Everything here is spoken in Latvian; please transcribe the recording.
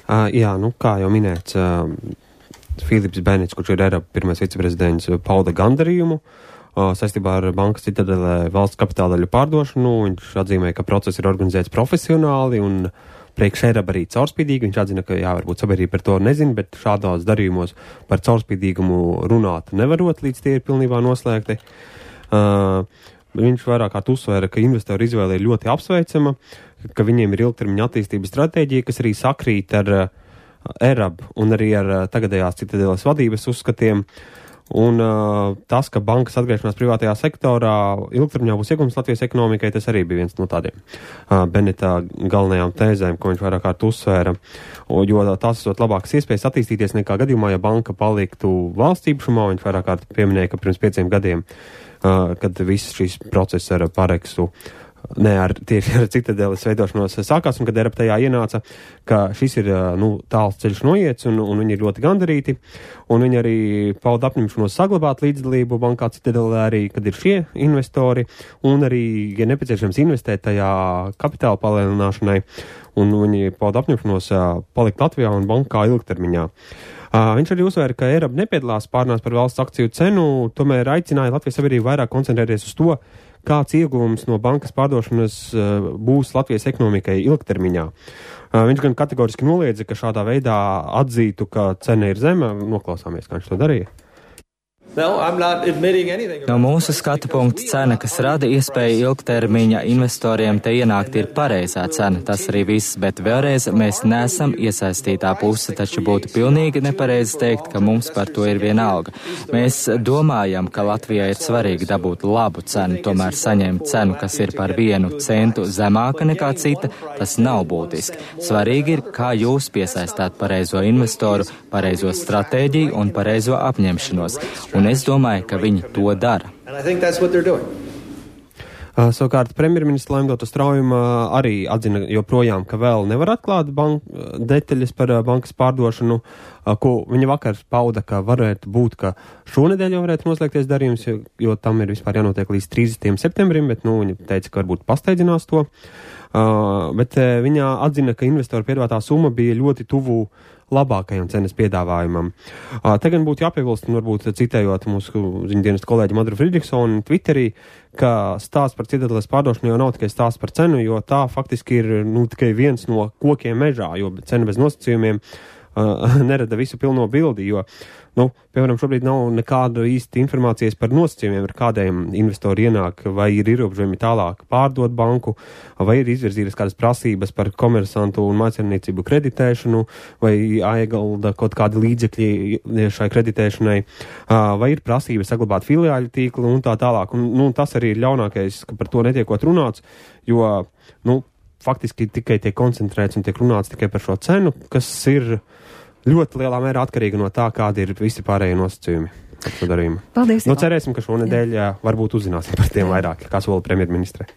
Jā, kā jau minēts, Filips Benits, kurš ir ERAB pirmais viceprezidents, pauda gandarījumu saistībā ar bankas Citadelē valsts kapitāla daļu pārdošanu. Viņš atzīmēja, ka process ir organizēts profesionāli un priekš ERAB arī caurspīdīgi. Viņš atzina, ka varbūt sabiedrība par to nezina, bet šādos darījumos par caurspīdīgumu runāt nevarot, līdz tie ir pilnībā noslēgti. Viņš vairāk kārt uzsvēra, ka investoru izvēle ir ļoti apsveicama, ka viņiem ir ilgtermiņa attīstības stratēģija, kas arī sakrīt ar ERAB un arī ar tagadējās Citadeles vadības uzskatiem. Un tas, ka bankas atgriešanās privātajā sektorā ilgtermiņā būs iegums Latvijas ekonomikai, tas arī bija viens no tādiem Benita galvenajām tēzēm, ko viņš vairāk kārt uzsvēra, jo tās esot labākas iespējas attīstīties nekā gadījumā, ja banka paliktu valsts īpašumā. Viņš vairāk kārt pieminēja, ka pirms 5 gadiem, kad viss šīs process ar Pareksu tieši ar Citadeles veidošanos sākās, un kad ERAB tajā ienāca, ka šis ir tāls ceļš noiets, un viņi ir ļoti gandarīti, un viņi arī pauda apņemšanos saglabāt līdzdalību bankā Citadelē arī, kad ir šie investori, un arī, ja nepieciešams, investēt tajā kapitāla palielināšanai, un viņi pauda apņemšanos palikt Latvijā un bankā ilgtermiņā. Viņš arī uzsvēra, ka ERAB nepiedalās pārnās par valsts akciju cenu, tomēr aicināja Latvijas sabiedrību vairāk koncentrēties uz to, kāds ieguvums no bankas pārdošanas būs Latvijas ekonomikai ilgtermiņā. Viņš gan kategoriski noliedza, ka šādā veidā atzītu, ka cena ir zema. Noklausāmies, kā viņš to darīja. No mūsu skatu punkta cena, kas rada iespēju ilgtermiņa investoriem te ienākt, ir pareizā cena. Tas arī viss, bet vēlreiz mēs neesam iesaistītā puse, taču būtu pilnīgi nepareizi teikt, ka mums par to ir vienalga. Mēs domājam, ka Latvijai ir svarīgi dabūt labu cenu, tomēr saņemt cenu, kas ir par 1 centu zemāka nekā cita, tas nav būtiski. Svarīgi ir, kā jūs piesaistāt pareizo investoru, pareizo stratēģiju un pareizo apņemšanos. Un es domāju, ka viņi to dara. Savukārt premjerministra Laimdota Straujuma arī atzina joprojām, ka vēl nevar atklāt detaļas par bankas pārdošanu, ko viņa vakar pauda, ka varētu būt, ka šonedēļ jau varētu noslēgties darījums, jo tam ir vispār jānotiek līdz 30. septembrim, bet viņa teica, ka varbūt pasteidzinās to. Bet viņa atzina, ka investoru piedāvātā summa bija ļoti tuvu labākajam cenas piedāvājumam. Te gan būtu jāpiebilst, un varbūt citējot mūsu ziņdienas kolēģi Madru Fridriksonu Twitterī, ka stāsts par Citadeles pārdošanu jau nav tikai stāsts par cenu, jo tā faktiski ir tikai viens no kokiem mežā, jo cena bez nosacījumiem nerada visu pilno bildi, jo, piemēram, šobrīd nav nekāda īsta informācijas par nosacījumiem, ar kādiem investori ienāk, vai ir ierobežojumi tālāk pārdot banku, vai ir izvirzītas kādas prasības par komersantu un mājsaimniecību kreditēšanu, vai jāiegulda kaut kādi līdzekļi šai kreditēšanai, vai ir prasības saglabāt filiāļu tīklu un tā tālāk. Un tas arī ir ļaunākais, ka par to netiekot runāts, jo, faktiski tikai tiek koncentrēts un tiek runāts tikai par šo cenu, kas ir ļoti lielā mērā atkarīga no tā, kādi ir visi pārējie nosacījumi. Paldies. Cerēsim, ka šonedēļ varbūt uzzināsim par tiem vairāk, kā sola premjerministre.